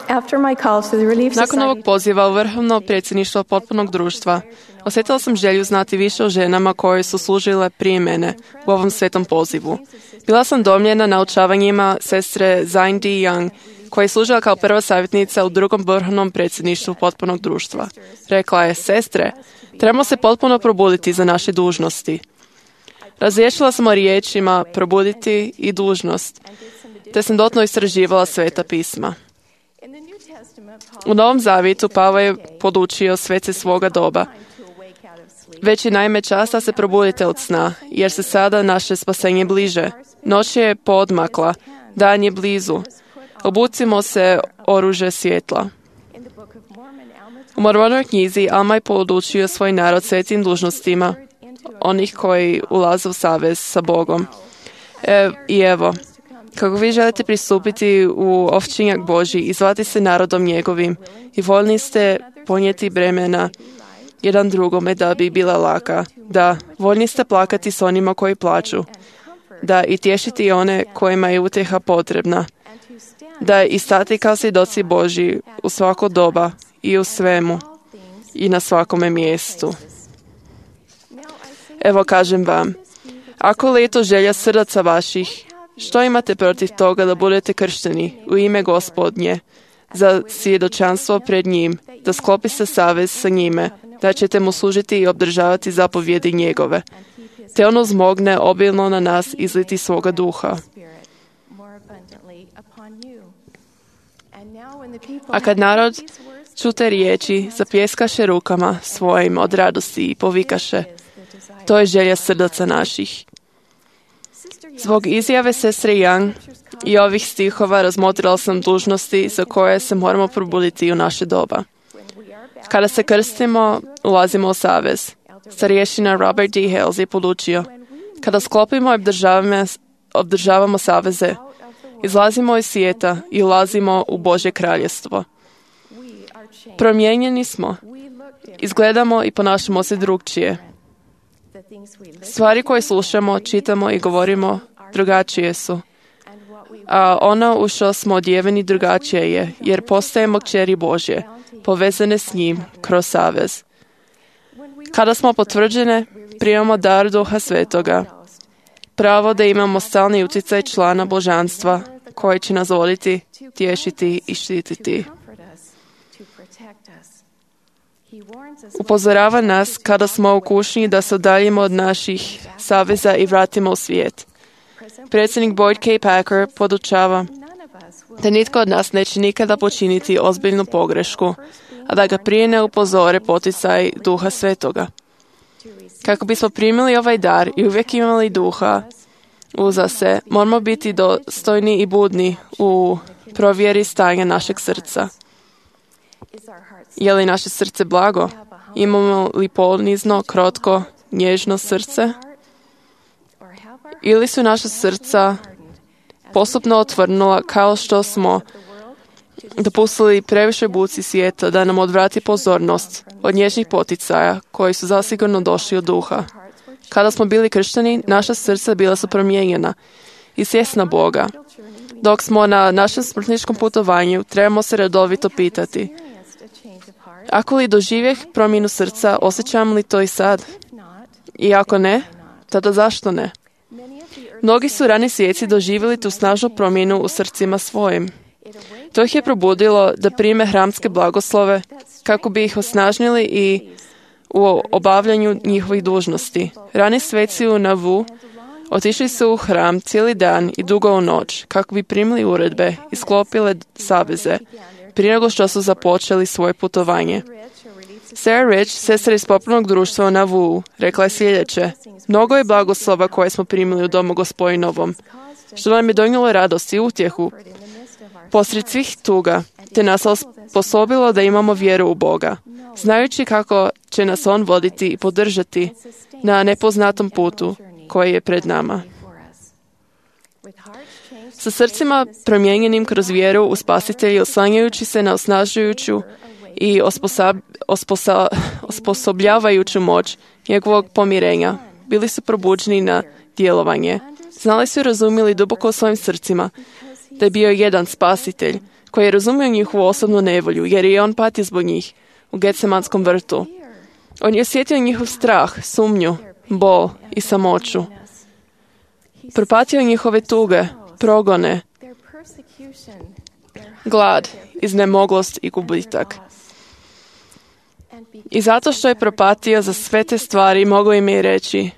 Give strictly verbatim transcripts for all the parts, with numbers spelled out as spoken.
After my call to the Relief Nakon ovog Society, poziva u vrhovno predsjedništvo potpunog društva, osjetila sam želju znati više o ženama koje su služile prije mene u ovom svetom pozivu. Bila sam domljena naučavanjima sestre Zine D. Young, koja je služila kao prva savjetnica u drugom vrhovnom predsjedništvu potpunog društva. Rekla je: sestre, trebamo se potpuno probuditi za naše dužnosti. Razriješila sam o riječima probuditi i dužnost, te sam dotno istraživala sveta pisma. U Novom zavjetu Pavao je podučio svece svoga doba: već je naime čas da se probudite od sna, jer se sada naše spasenje bliže. Noć je poodmakla, dan je blizu. Obucimo se oružje svjetla. U Mormonovoj knjizi Alma je podučio svoj narod svetim dužnostima onih koji ulaze u savez sa Bogom. E, I evo, kako vi želite pristupiti u ovčinjak Božji i zvati se narodom njegovim i voljni ste ponijeti bremena jedan drugome da bi bila laka, da voljni ste plakati s onima koji plaču, da i tješiti one kojima je utjeha potrebna, da i stati kao svjedoci Božji u svako doba i u svemu i na svakome mjestu. Evo kažem vam, ako li je to želja srdaca vaših, što imate protiv toga da budete kršteni u ime Gospodnje za svjedočanstvo pred njim, da sklopi se savez sa njime, da ćete mu služiti i obdržavati zapovjedi njegove, te ono zmogne obilno na nas izliti svoga duha. A kad narod čute riječi, zapjeskaše rukama svojim od radosti i povikaše: to je želja srdaca naših. Zbog izjave sestre Young i ovih stihova razmotrila sam dužnosti za koje se moramo probuditi u naše doba. Kada se krstimo, ulazimo u savez. Starješina Robert D. Hales je podučio: kada sklopimo i obdržavamo, obdržavamo saveze, izlazimo iz svijeta i ulazimo u Božje kraljestvo. Promijenjeni smo. Izgledamo i ponašamo se drugčije. Stvari koje slušamo, čitamo i govorimo drugačije su. A ono u što smo odjeveni drugačije je, jer postajemo kćeri Božje, povezane s njim kroz savez. Kada smo potvrđene, primamo dar Duha Svetoga, pravo da imamo stalni utjecaj člana božanstva koji će nas voditi, tješiti i štititi. Upozorava nas kada smo u kušnji da se udaljimo od naših saveza i vratimo u svijet. Predsjednik Boyd K. Packer podučava da nitko od nas neće nikada počiniti ozbiljnu pogrešku, a da ga prije ne upozore poticaj Duha Svetoga. Kako bismo primili ovaj dar i uvijek imali duha uza se, moramo biti dostojni i budni u provjeri stanja našeg srca. Je li naše srce blago? Imamo li ponizno, krotko, nježno srce? Ili su naša srca postupno otvrnula kao što smo dopustili previše buci svijeta da nam odvrati pozornost od nježnih poticaja koji su zasigurno došli od duha. Kada smo bili kršteni, naša srca bila su promijenjena i svjesna Boga. Dok smo na našem smrtničkom putovanju, trebamo se redovito pitati: ako li doživjeh promjenu srca, osjećam li to i sad? I ako ne, tada zašto ne? Mnogi su rani svijeci doživjeli tu snažnu promjenu u srcima svojim. To ih je probudilo da prime hramske blagoslove kako bi ih osnažnili i u obavljanju njihovih dužnosti. Rani sveci u Navu otišli su u hram cijeli dan i dugo u noć kako bi primili uredbe i sklopile saveze prije nego što su započeli svoje putovanje. Sarah Rich, sestra iz popolnog društva u Navu, rekla je sljedeće: mnogo je blagoslova koje smo primili u domu Gospodinovom, što nam je donijelo radost i utjehu posred svih tuga, te nas osposobilo da imamo vjeru u Boga, znajući kako će nas On voditi i podržati na nepoznatom putu koji je pred nama. Sa srcima promijenjenim kroz vjeru u Spasitelja, oslanjajući se na osnažujuću i osposob, osposo, osposobljavajuću moć njegovog pomirenja, bili su probuđeni na djelovanje. Znali su i razumjeli duboko u svojim srcima da je bio jedan Spasitelj, koji je razumio njihovu osobnu nevolju, jer je on patio zbog njih u Getsemanskom vrtu. On je osjetio njihov strah, sumnju, bol i samoću. Propatio njihove tuge, progone, glad, iznemoglost i gubitak. I zato što je propatio za sve te stvari, mogao im je reći: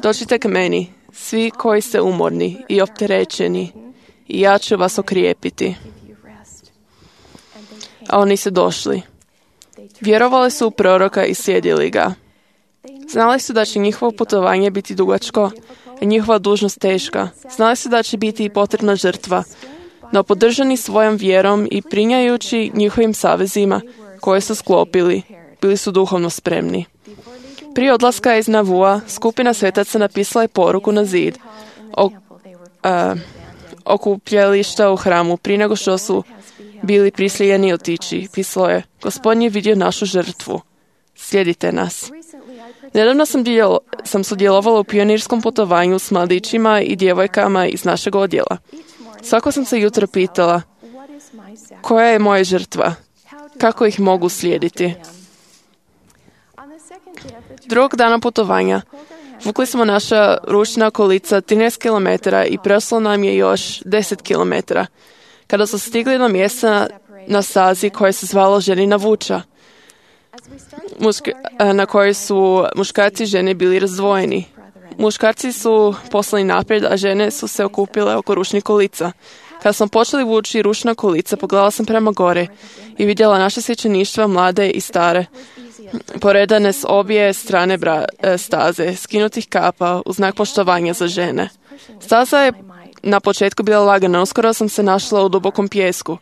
dođite k meni, svi koji ste umorni i opterećeni, i ja ću vas okrijepiti. A oni su došli. Vjerovali su u proroka i slijedili ga. Znali su da će njihovo putovanje biti dugačko, a njihova dužnost teška. Znali su da će biti potrebna žrtva, no podržani svojom vjerom i prinjajući njihovim savezima koje su sklopili, bili su duhovno spremni. Prije odlaska iz Navua, skupina svetaca napisala je poruku na zid o, a, okupljališta u hramu, prije nego što su bili prisiljeni otići. Pisalo je: Gospodin je vidio našu žrtvu. Slijedite nas. Nedavno sam, dijel, sam sudjelovala u pionirskom putovanju s mladićima i djevojkama iz našeg odjela. Svako sam se jutro pitala: koja je moja žrtva? Kako ih mogu slijediti? Drugog dana putovanja vukli smo naša ručna kolica trinaest kilometara i preostalo nam je još deset kilometara. Kada su stigli do mjesta na stazi koje se zvalo Ženina vuča, muški, na kojoj su muškarci i žene bili razdvojeni. Muškarci su poslani naprijed, a žene su se okupile oko ručnih kolica. Kada smo počeli vući ručna kolica, pogledala sam prema gore i vidjela naše svećeništva, mlade i stare, poredane s obje strane bra, staze, skinutih kapa u znak poštovanja za žene. Staza je na početku bila lagana, uskoro sam se našla u dubokom pijesku,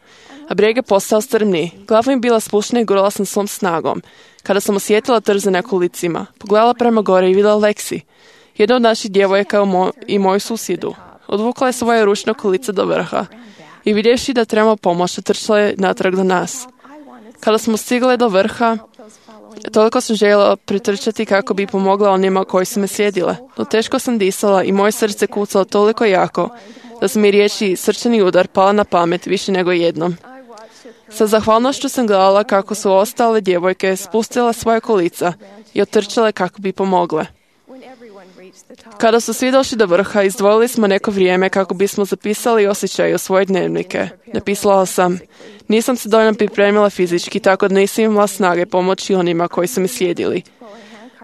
a brijeg je postao strmniji. Glava mi bila spuštena i gurala sam svom snagom. Kada sam osjetila trze na kolicima, pogledala prema gore i vidjela Leksi, jedna od naših djevojaka mo- i moju susjedu. Odvukla je svoje ručno kolice do vrha i vidjevši da trebamo pomoć, trčala je natrag do nas. Kada smo stigli do vrha, toliko sam željela pritrčati kako bi pomogla onima koji su me slijedile. No teško sam disala i moje srce kucalo toliko jako da su mi riječi srčani udar pala na pamet više nego jednom. Sa zahvalnošću sam gledala kako su ostale djevojke spustile svoje kolica i otrčale kako bi pomogle. Kada su svi došli do vrha, izdvojili smo neko vrijeme kako bismo zapisali osjećaje u svoje dnevnike. Napisala sam: nisam se dovoljno pripremila fizički, tako da nisam imala snage pomoći onima koji su mi slijedili.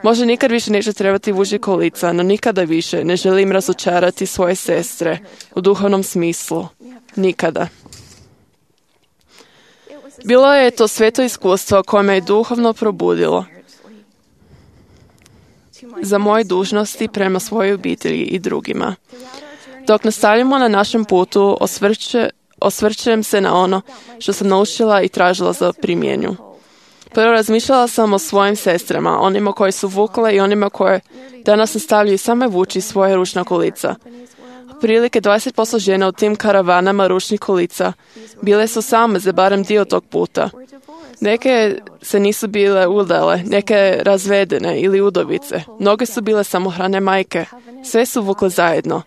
Možda nikad više neće trebati vući kolica, no nikada više ne želim razočarati svoje sestre u duhovnom smislu. Nikada. Bilo je to sveto iskustvo koje me je duhovno probudilo za moje dužnosti prema svojoj obitelji i drugima. Dok nastavljamo na našem putu, osvrće, osvrćem se na ono što sam naučila i tražila za primjenju. Prvo razmišljala sam o svojim sestrama, onima koji su vukle i onima koje danas nastavljaju same vući svoje ručna kolica. Prilike dvadeset posto žena u tim karavanama ručnih kolica bile su same za barem dio tog puta. Neke se nisu bile udale, neke razvedene ili udovice. Mnoge su bile samohrane majke. Sve su vukle zajedno.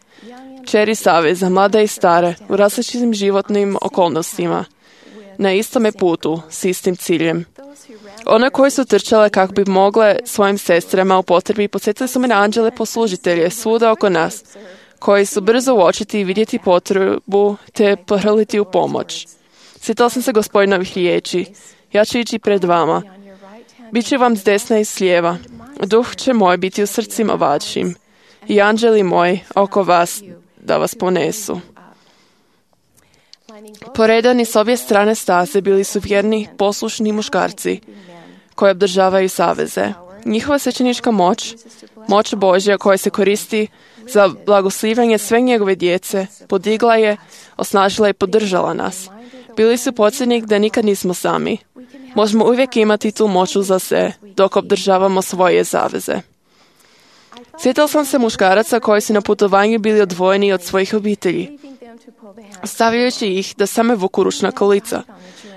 Kćeri saveza, mlade i stare, u različitim životnim okolnostima. Na istome putu, s istim ciljem. One koje su trčale kako bi mogle svojim sestrama u potrebi, podsjetili su me na anđele poslužitelje svuda oko nas, koji su brzo uočiti i vidjeti potrebu te pohrliti u pomoć. Sjetila sam se Gospodinovih riječi: ja ću ići pred vama. Biće vam s desna i s lijeva. Duh će moj biti u srcima vašim i anđeli moji oko vas da vas ponesu. Poredani s obje strane staze bili su vjerni, poslušni muškarci koji obdržavaju saveze. Njihova svećenička moć, moć Božja koja se koristi za blagoslivljanje sve njegove djece, podigla je, osnažila i podržala nas. Bili su podsjetnik da nikad nismo sami. Možemo uvijek imati tu moć za se dok obdržavamo svoje zaveze. Sjetila sam se muškaraca koji su na putovanju bili odvojeni od svojih obitelji, stavljajući ih da same vuku ručna kolica.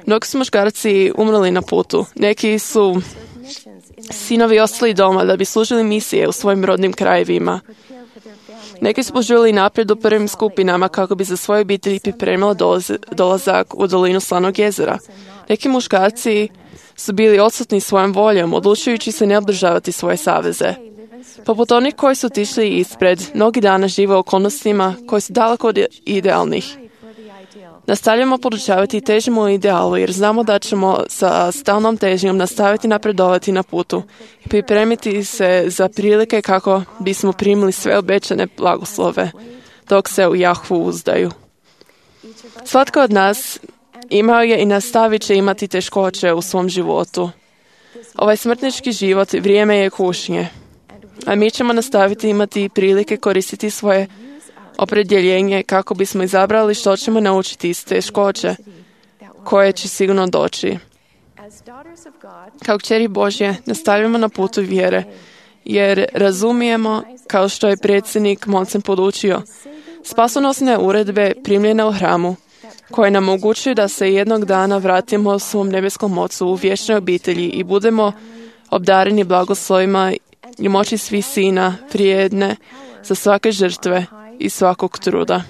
Mnogi su muškarci umrli na putu. Neki su sinovi ostali doma da bi služili misije u svojim rodnim krajevima. Neki su požurili naprijed u prvim skupinama kako bi za svoje obitelji pripremili dolazak u dolinu Slanog jezera. Neki muškarci su bili odsutni svojom voljom, odlučujući se ne održavati svoje saveze. Poput onih koji su otišli ispred, mnogi dana žive u okolnostima koji su daleko od idealnih. Nastavljamo podučavati i težimo u idealu, jer znamo da ćemo sa stalnom težnjom nastaviti napredovati na putu i pripremiti se za prilike kako bismo primili sve obećane blagoslove, dok se u Jahvu uzdaju. Svatko od nas imao je i nastavit će imati teškoće u svom životu. Ovaj smrtnički život vrijeme je kušnje, a mi ćemo nastaviti imati prilike koristiti svoje opredjeljenje kako bismo izabrali što ćemo naučiti iz teškoće koje će sigurno doći. Kao kćeri Božje nastavljamo na putu vjere, jer razumijemo, kao što je predsjednik Monsen podučio, spasonosne uredbe primljene u hramu, koje nam omogućuju da se jednog dana vratimo svom nebeskom Ocu u vječnoj obitelji i budemo obdareni blagoslovima i moći svih sina vrijedne za svake žrtve i svakog truda.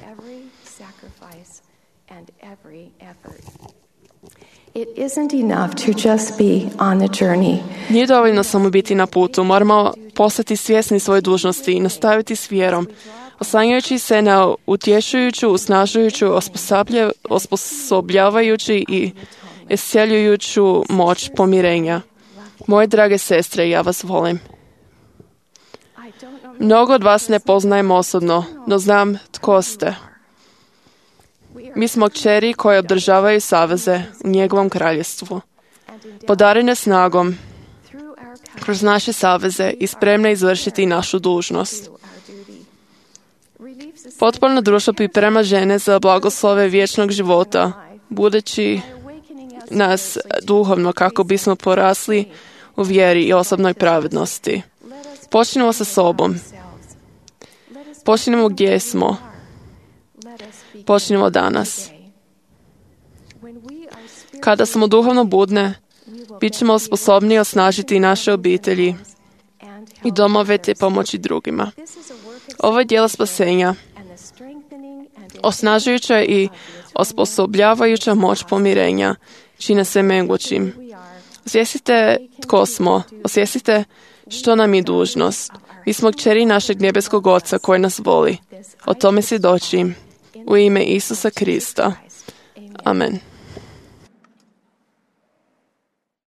Nije dovoljno samo biti na putu, moramo postati svjesni svoje dužnosti i nastaviti s vjerom, oslanjajući se na utješujuću, usnažujuću, osposobljavajući i isceljujuću moć pomirenja. Moje drage sestre, ja vas volim. Mnogo od vas ne poznajem osobno, no znam tko ste. Mi smo kćeri koje održavaju saveze u njegovom kraljevstvu. Podarene snagom kroz naše saveze i spremne izvršiti našu dužnost. Potporno društvo priprema žene za blagoslove vječnog života, budeći nas duhovno kako bismo porasli u vjeri i osobnoj pravednosti. Počnimo sa sobom. Počnimo gdje smo. Počnimo danas. Kada smo duhovno budne, bit ćemo sposobni osnažiti naše obitelji i domove te pomoći drugima. Ovo je djelo spasenja, osnažujuća i osposobljavajuća moć pomirenja, čine se mogućim. Osvijestite tko smo, osvijestite što nam je dužnost. Mi smo kćeri našeg nebeskog Oca koji nas voli. O tome svjedočim. U ime Isusa Krista. Amen.